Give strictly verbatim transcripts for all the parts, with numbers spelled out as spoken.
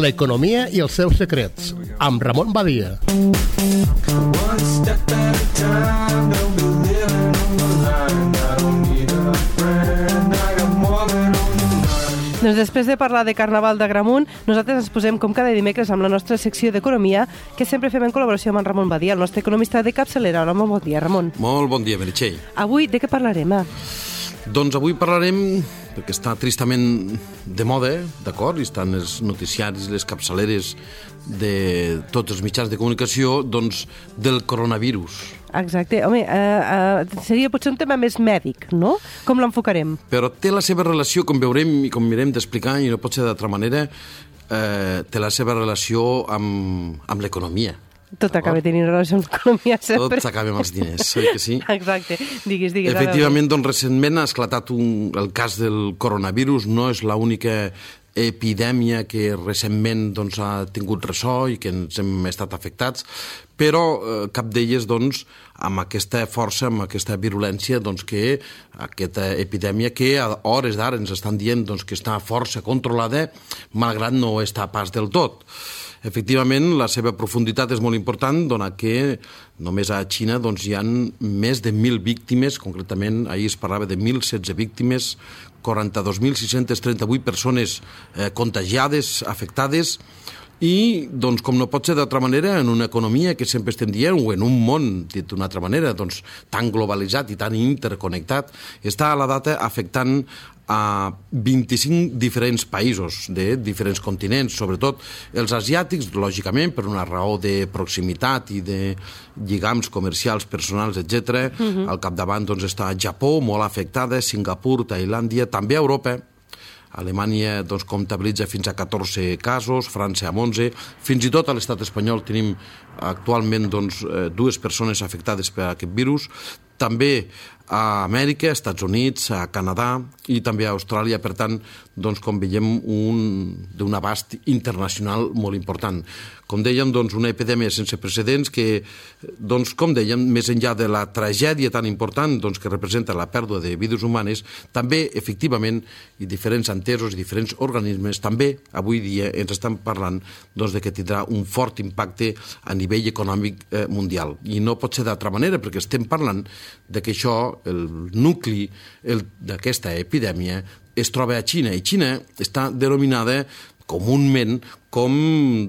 l'economia i els seus secrets, amb Ramon Badia. Doncs després de parlar de Carnaval d'Agramunt, nosaltres ens posem com cada dimecres amb la nostra secció d'Economia, que sempre fem en col·laboració amb en Ramon Badia, el nostre economista de capçalera. Hola, molt bon dia, Ramon. Molt bon dia, Meritxell. Avui de què parlarem, eh? Doncs avui parlarem, perquè està tristament de moda, d'acord, i estan els noticiaris, les capçaleres de tots els mitjans de comunicació, doncs del coronavirus. Exacte. Home, eh, eh, seria potser un tema més mèdic, no? Com l'enfocarem? Però té la seva relació, com veurem i com mirem d'explicar, i no pot ser d'altra manera, eh, té la seva relació amb, amb l'economia. Tot acaba tenint relació amb l'economia, sempre. Tot s'acaba amb els diners, oi que sí? Exacte. Digues, digues. Efectivament, doncs, recentment ha esclatat un, el cas del coronavirus. No és l'única epidèmia que recentment doncs, ha tingut ressò i que ens hem estat afectats, però eh, cap d'elles doncs, amb aquesta força, amb aquesta virulència, doncs, que aquesta epidèmia que a hores d'ara ens estan dient doncs, que està força controlada, malgrat no està pas del tot. Efectivament, la seva profunditat és molt important, donat que només a Xina doncs, hi ha més de mil víctimes, concretament ahir es parlava de mil setze víctimes, quaranta-dos mil sis-cents trenta-vuit persones eh, contagiades, afectades, i, doncs, com no pot ser d'altra manera, en una economia que sempre estem dient, o en un món, dit d'una altra manera, doncs, tan globalitzat i tan interconnectat, està a la data afectant a vint-i-cinc diferents països de diferents continents, sobretot els asiàtics, lògicament, per una raó de proximitat i de lligams comercials, personals, etcètera. Uh-huh. Al capdavant doncs, està Japó, molt afectada, Singapur, Tailàndia, també Europa. Alemanya doncs, comptabilitza fins a catorze casos, França amb onze, fins i tot a l'estat espanyol tenim actualment doncs, dues persones afectades per aquest virus, també a Amèrica, als Estats Units, a Canadà i també a Austràlia. Per tant, doncs, com veiem, un, d'un abast internacional molt important. Com dèiem, doncs, una epidèmia sense precedents que, doncs, com dèiem, més enllà de la tragèdia tan important doncs, que representa la pèrdua de vides humanes, també, efectivament, i diferents entesos i diferents organismes, també, avui dia, ens estan parlant doncs, de que tindrà un fort impacte a nivell econòmic eh, mundial. I no pot ser d'altra manera, perquè estem parlant de que això, el nucli d'aquesta epidèmia, es troba a Xina, i Xina està denominada comúment com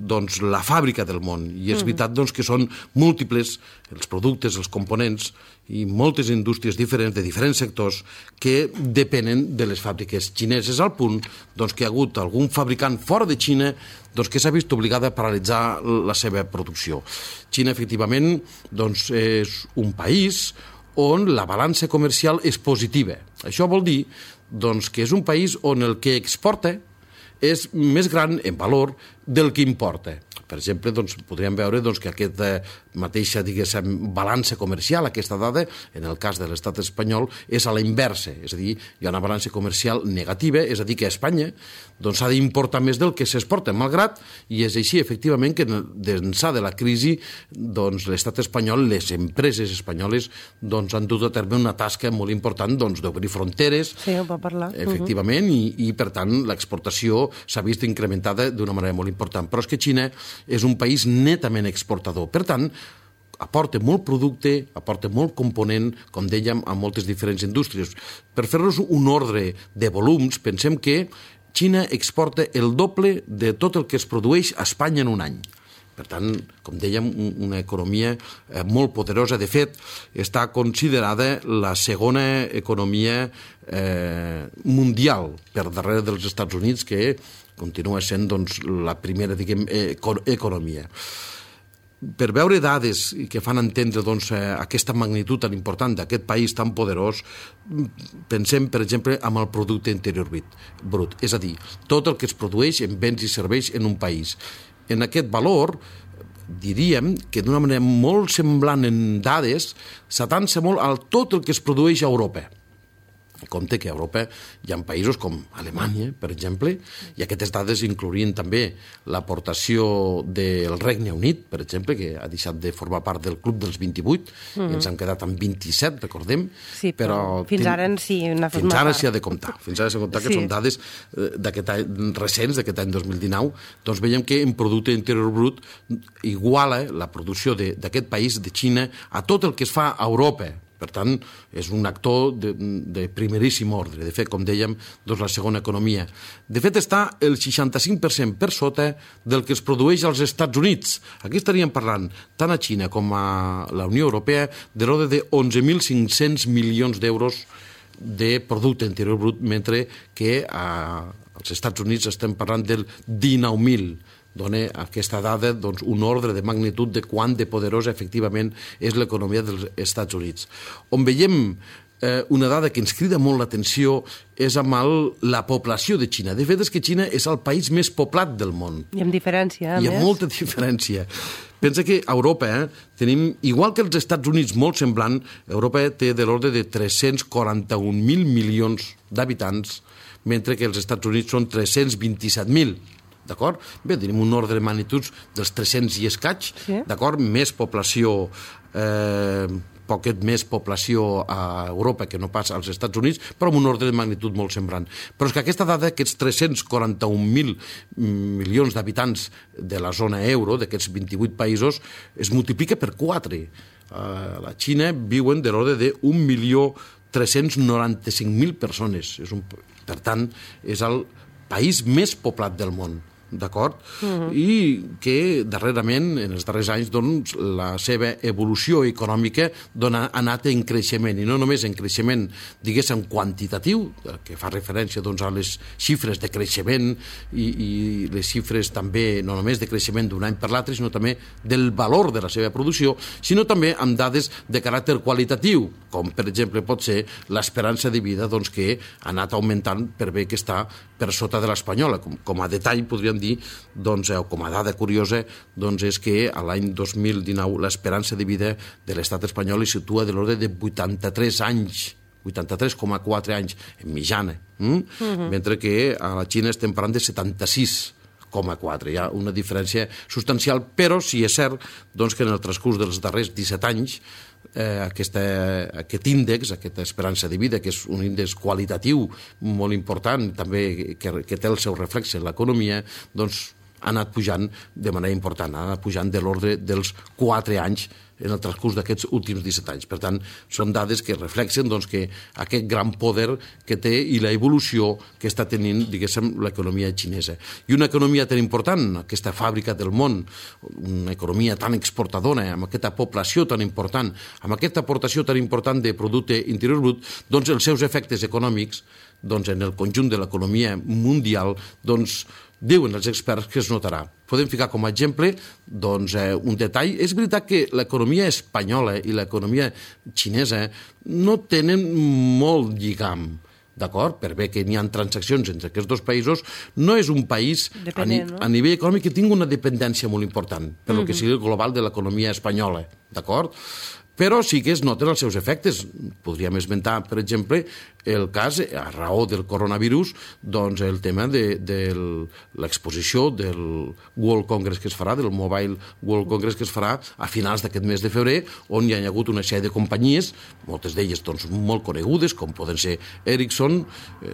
doncs, la fàbrica del món. I és veritat doncs, que són múltiples els productes, els components i moltes indústries diferents, de diferents sectors, que depenen de les fàbriques xineses, al punt doncs, que hi ha hagut algun fabricant fora de Xina doncs, que s'ha vist obligada a paralitzar la seva producció. Xina, efectivament, doncs, és un país on la balança comercial és positiva. Això vol dir doncs, que és un país on el que exporta és més gran en valor del que importa. Per exemple, doncs, podríem veure doncs, que aquesta mateixa balança comercial, aquesta dada, en el cas de l'estat espanyol, és a la inversa. És a dir, hi ha una balança comercial negativa, és a dir, que a Espanya doncs, s'ha d'importar més del que s'exporta, malgrat, i és així, efectivament, que d'ençà de la crisi, doncs, l'estat espanyol, les empreses espanyoles, doncs, han dut a terme una tasca molt important doncs, d'obrir fronteres, sí, ho va parlar. Efectivament, uh-huh. i, i, per tant, l'exportació s'ha vist incrementada d'una manera molt important. Però és que Xina és un país netament exportador. Per tant, aporta molt producte, aporta molt component, com dèiem, a moltes diferents indústries. Per fer-nos un ordre de volums, pensem que Xina exporta el doble de tot el que es produeix a Espanya en un any. Per tant, com dèiem, una economia molt poderosa. De fet, està considerada la segona economia eh, mundial per darrere dels Estats Units, que continua sent doncs, la primera diguem, economia. Per veure dades que fan entendre doncs, aquesta magnitud tan important d'aquest país tan poderós, pensem, per exemple, en el producte interior brut, és a dir, tot el que es produeix en béns i serveis en un país. En aquest valor, diríem que d'una manera molt semblant en dades, s'atansa molt a tot el que es produeix a Europa. Compte que a Europa hi ha països com Alemanya, per exemple, i aquestes dades inclourien també l'aportació del Regne Unit, per exemple, que ha deixat de formar part del club dels vint-i-vuit, mm -hmm. i ens han quedat amb vint-i-set, recordem. Sí, però, però fins ten... ara sí n'ha format Fins ara part. s'hi ha de comptar. Fins ara s'ha de comptar que sí. Són dades d'aquest any, recents, d'aquest any dos mil dinou, doncs veiem que en producte interior brut iguala la producció d'aquest país, de Xina, a tot el que es fa a Europa. Per tant, és un actor de, de primeríssim ordre. De fet, com dèiem, doncs la segona economia. De fet, està el seixanta-cinc per cent per sota del que es produeix als Estats Units. Aquí estaríem parlant, tant a Xina com a la Unió Europea, de l'ordre de onze mil cinc-cents milions d'euros de producte interior brut, mentre que a, als Estats Units estem parlant del dinou mil. Dona aquesta dada doncs, un ordre de magnitud de quant de poderosa efectivament és l'economia dels Estats Units. On veiem eh, una dada que ens crida molt l'atenció és amb el, la població de Xina. De fet, és que Xina és el país més poblat del món. I amb diferència, a Hi ha més. molta diferència. Pensa que a Europa eh, tenim, igual que els Estats Units, molt semblant, Europa té de l'ordre de tres-cents quaranta-un mil milions d'habitants, mentre que els Estats Units són tres-cents vint-i-set mil. D'acord? Bé, tenim un ordre de magnituds dels tres-cents i escaig, sí. D'acord? Més població, eh, poquet més població a Europa que no pas als Estats Units, però amb un ordre de magnitud molt semblant. Però és que aquesta dada, aquests tres-cents quaranta-un mil milions d'habitants de la zona euro, d'aquests vint-i-vuit països, es multiplica per quatre. A la Xina viuen de l'ordre d'un milió tres-cents noranta-cinc mil persones. És un, per tant, és el país més poblat del món. D'acord? Uh-huh. I que darrerament, en els darrers anys, doncs, la seva evolució econòmica dona, ha anat en creixement, i no només en creixement, diguéssim, quantitatiu, que fa referència doncs, a les xifres de creixement i, i les xifres també, no només de creixement d'un any per l'altre, sinó també del valor de la seva producció, sinó també amb dades de caràcter qualitatiu, com per exemple pot ser l'esperança de vida doncs, que ha anat augmentant per bé que està per sota de l'espanyola. Com, com a detall podríem dir, doncs, o com a dada curiosa, doncs, és que a l'any dos mil dinou l'esperança de vida de l'estat espanyol es situa de l'ordre de vuitanta-tres anys, vuitanta-tres coma quatre anys en mitjana, hm? uh-huh. Mentre que a la Xina estem parlant de setanta-sis coma quatre. Hi ha una diferència substancial, però sí és cert doncs, que en el transcurs dels darrers disset anys eh, aquesta, aquest índex, aquesta esperança de vida, que és un índex qualitatiu molt important, també que, que té el seu reflex en l'economia, doncs ha anat pujant de manera important, ha anat pujant de l'ordre dels quatre anys en el transcurs d'aquests últims disset anys. Per tant, són dades que reflexen doncs, que aquest gran poder que té i la evolució que està tenint, diguéssim, l'economia xinesa. I una economia tan important, aquesta fàbrica del món, una economia tan exportadora, amb aquesta població tan important, amb aquesta aportació tan important de producte interior brut, doncs els seus efectes econòmics doncs, en el conjunt de l'economia mundial, doncs, diuen els experts que es notarà. Podem ficar com a exemple doncs, eh, un detall. És veritat que l'economia espanyola i l'economia xinesa no tenen molt lligam, d'acord? Per bé que n'hi ha transaccions entre aquests dos països, no és un país a, ni no? a nivell econòmic que tingui una dependència molt important per mm-hmm. lo que sigui el global de l'economia espanyola, d'acord? Però sí que es noten els seus efectes. Podríem esmentar, per exemple, el cas, a raó del coronavirus, doncs el tema de, de l'exposició del World Congress que es farà, del Mobile World Congress que es farà a finals d'aquest mes de febrer, on hi ha hagut una sèrie de companyies, moltes d'elles doncs, molt conegudes, com poden ser Ericsson,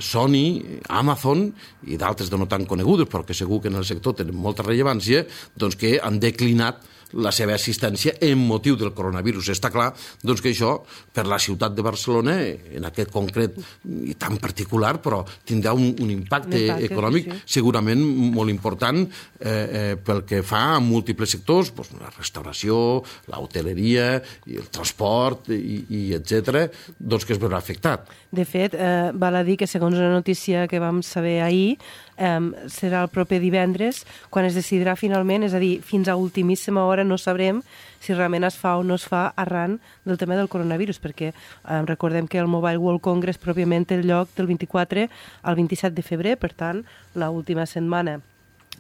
Sony, Amazon, i d'altres de no tan conegudes, però que segur que en el sector tenen molta rellevància, doncs que han declinat la seva assistència en motiu del coronavirus. Està clar doncs, que això, per la ciutat de Barcelona, en aquest concret i tan particular, però tindrà un, un impacte, un impacte econòmic sí. segurament molt important eh, eh, pel que fa a múltiples sectors, doncs, la restauració, l'hoteleria, el transport, i, i etcètera, doncs que es veurà afectat. De fet, eh, val a dir que segons una notícia que vam saber ahir, eh, serà el proper divendres quan es decidirà finalment, és a dir, fins a ultimíssima hora no sabrem si realment es fa o no es fa arran del tema del coronavirus, perquè eh, recordem que el Mobile World Congress pròpiament té el lloc del vint-i-quatre al vint-i-set de febrer, per tant, l'última setmana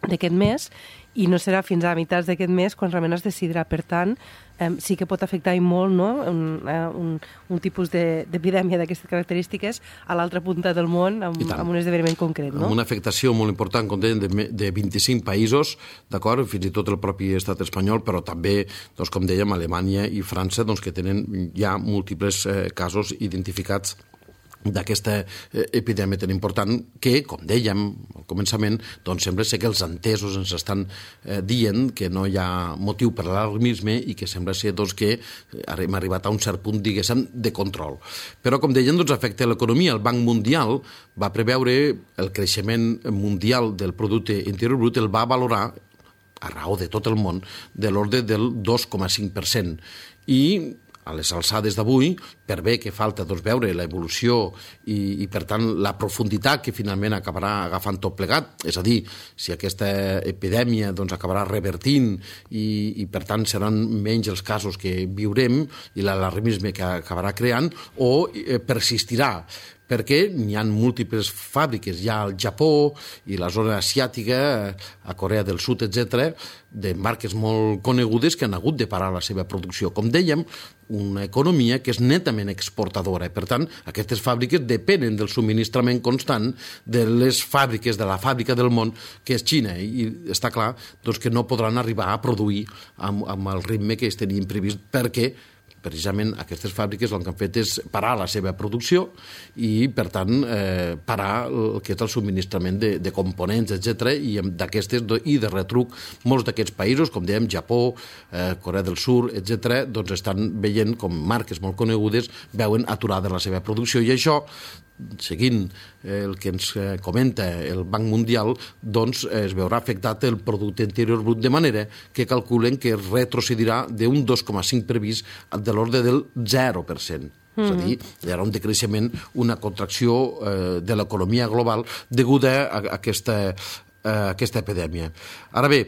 d'aquest mes, i no serà fins a meitats d'aquest mes quan realment es decidirà. Per tant, eh, sí que pot afectar i molt, no? un, eh, un, un tipus d'epidèmia d'aquestes característiques a l'altra punta del món amb, amb un esdeveniment concret. No? Amb una afectació molt important, com deien, de, de vint-i-cinc països, d'acord, fins i tot el propi estat espanyol, però també, doncs, com dèiem, Alemanya i França, doncs, que tenen ja múltiples eh, casos identificats d'aquesta epidèmia tan important que, com dèiem al començament, doncs sembla ser que els entesos ens estan eh, dient que no hi ha motiu per a l'alarmisme i que sembla ser doncs, que hem arribat a un cert punt, diguéssim, de control. Però, com dèiem, doncs, afecta l'economia. El Banc Mundial va preveure el creixement mundial del producte interior brut, el va valorar a raó de tot el món, de l'ordre del dos coma cinc per cent. I a les alçades d'avui, per bé que falta doncs, veure l'evolució i, i, per tant, la profunditat que finalment acabarà agafant tot plegat, és a dir, si aquesta epidèmia doncs, acabarà revertint i, i, per tant, seran menys els casos que viurem i l'alarmisme que acabarà creant, o eh, persistirà, perquè n'hi ha múltiples fàbriques, ja al Japó i la zona asiàtica, a Corea del Sud, etcètera, de marques molt conegudes que han hagut de parar la seva producció. Com dèiem, una economia que és netament exportadora. Per tant, aquestes fàbriques depenen del subministrament constant de les fàbriques, de la fàbrica del món, que és Xina. I està clar doncs, que no podran arribar a produir amb, amb el ritme que es tenien previst, perquè precisament aquestes fàbriques el que han fet és parar la seva producció i, per tant, eh, parar el que és el subministrament de, de components, etcètera. I d'aquestes i de retruc, molts d'aquests països, com dèiem, Japó, eh, Corea del Sud, etcètera, doncs estan veient com marques molt conegudes veuen aturada la seva producció. I això, seguint el que ens comenta el Banc Mundial, doncs es veurà afectat el producte interior brut, de manera que calculen que retrocedirà d'un dos coma cinc previst de l'ordre del zero per cent. Mm. És a dir, hi haurà un decreixement, una contracció eh, de l'economia global deguda a, a aquesta aquesta epidèmia. Ara bé,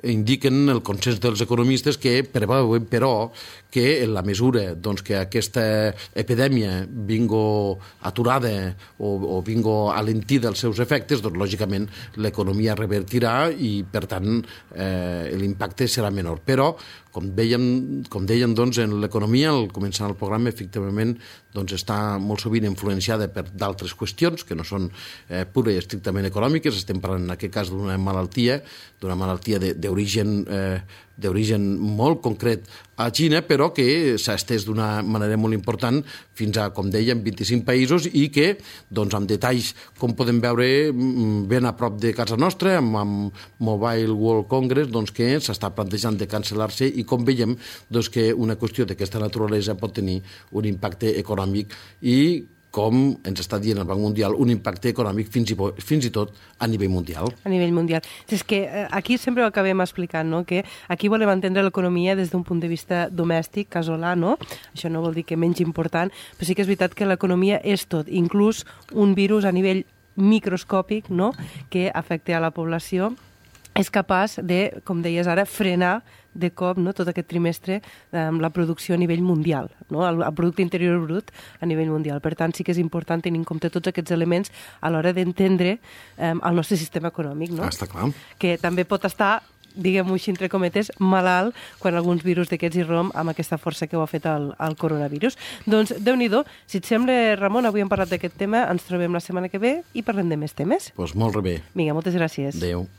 indiquen el consens dels economistes que preveuen, però, que en la mesura doncs, que aquesta epidèmia vingo aturada o, o vingo alentida els seus efectes, doncs, lògicament, l'economia revertirà i, per tant, eh, l'impacte serà menor. Però, com dèiem, com dèiem doncs, en l'economia, al començar el programa, efectivament, doncs, està molt sovint influenciada per d'altres qüestions que no són eh, pura i estrictament econòmiques. Estem parlant, en aquest cas, d'una malaltia, d'una malaltia d'origen eh, d'origen molt concret a Xina, però que s'ha estès d'una manera molt important fins a, com dèiem, vint-i-cinc països i que, doncs, amb detalls, com podem veure, ben a prop de casa nostra, amb, amb Mobile World Congress, doncs, que s'està plantejant de cancel·lar-se i, com veiem, doncs, que una qüestió d'aquesta naturalesa pot tenir un impacte econòmic i, com ens està dient el Banc Mundial, un impacte econòmic fins i, fins i tot a nivell mundial. A nivell mundial. És que aquí sempre ho acabem explicant, no? Que aquí volem entendre l'economia des d'un punt de vista domèstic, casolà, no? Això no vol dir que menys important, però sí que és veritat que l'economia és tot, inclús un virus a nivell microscòpic, no? Que afecta a la població, és capaç de, com deies ara, frenar de cop, no, tot aquest trimestre amb la producció a nivell mundial, no, el, el producte interior brut a nivell mundial. Per tant, sí que és important tenir en compte tots aquests elements a l'hora d'entendre eh, el nostre sistema econòmic, no? Ah, està clar. Que també pot estar, diguem-ho així, entre cometes, malalt quan alguns virus d'aquests irromp amb aquesta força que ho ha fet el, el coronavirus. Doncs, Déu-n'hi-do, si et sembla, Ramon, avui hem parlat d'aquest tema, ens trobem la setmana que ve i parlem de més temes. Doncs molt bé. Vinga, moltes gràcies. Adéu.